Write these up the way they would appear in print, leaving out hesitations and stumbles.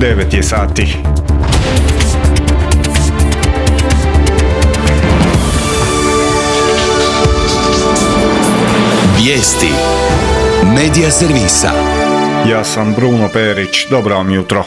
9 je sati. Vijesti Medija servisa. Ja sam Bruno Perić, dobro vam jutro.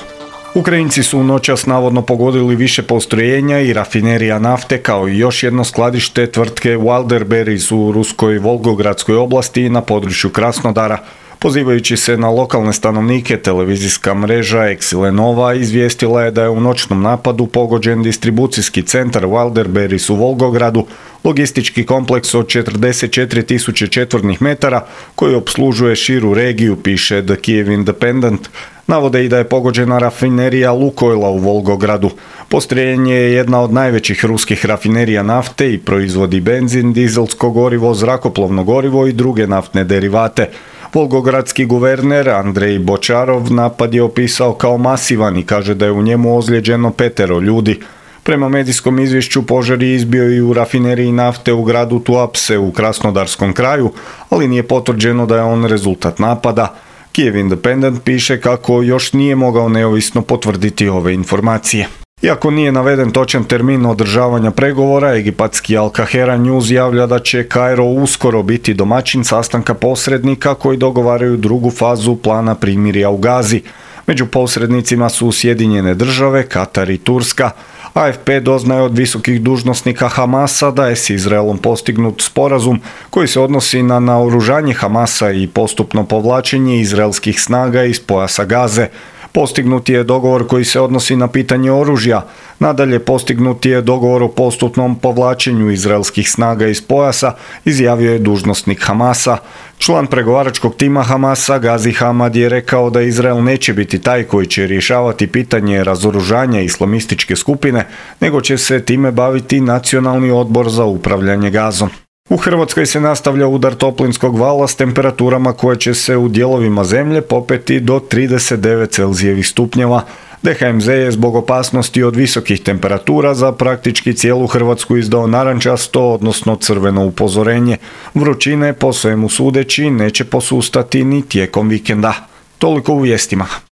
Ukrajinci su noćas navodno pogodili više postrojenja i rafinerija nafte kao i još jedno skladište tvrtke Wildberries u ruskoj Volgogradskoj oblasti na području Krasnodara. Pozivajući se na lokalne stanovnike, televizijska mreža Exile Nova izvijestila je da je u noćnom napadu pogođen distribucijski centar Wildberries u Volgogradu, logistički kompleks od 44.000 četvornih metara koji opslužuje širu regiju, piše The Kyiv Independent. Navode i da je pogođena rafinerija Lukoila u Volgogradu. Postrojenje je jedna od najvećih ruskih rafinerija nafte i proizvodi benzin, dizelsko gorivo, zrakoplovno gorivo i druge naftne derivate. Volgogradski guverner Andrej Bočarov napad je opisao kao masivan i kaže da je u njemu ozlijeđeno 5 ljudi. Prema medijskom izvješću požar je izbio i u rafineriji nafte u gradu Tuapse u Krasnodarskom kraju, ali nije potvrđeno da je on rezultat napada. Kyiv Independent piše kako još nije mogao neovisno potvrditi ove informacije. Iako nije naveden točan termin održavanja pregovora, egipatski Al Kahera News javlja da će Kairo uskoro biti domaćin sastanka posrednika koji dogovaraju drugu fazu plana primirja u Gazi. Među posrednicima su Sjedinjene države, Katar i Turska. AFP doznaje od visokih dužnosnika Hamasa da je s Izraelom postignut sporazum koji se odnosi na naoružanje Hamasa i postupno povlačenje izraelskih snaga iz pojasa Gaze. Postignut je dogovor koji se odnosi na pitanje oružja. Nadalje, postignut je dogovor o postupnom povlačenju izraelskih snaga iz pojasa, izjavio je dužnosnik Hamasa. Član pregovaračkog tima Hamasa, Gazi Hamad, je rekao da Izrael neće biti taj koji će rješavati pitanje razoružanja islamističke skupine, nego će se time baviti Nacionalni odbor za upravljanje Gazom. U Hrvatskoj se nastavlja udar toplinskog vala s temperaturama koje će se u dijelovima zemlje popeti do 39 Celzijevih stupnjeva. DHMZ je zbog opasnosti od visokih temperatura za praktički cijelu Hrvatsku izdao narančasto, odnosno crveno upozorenje. Vrućine, po svemu sudeći, neće posustati ni tijekom vikenda. Toliko u vijestima.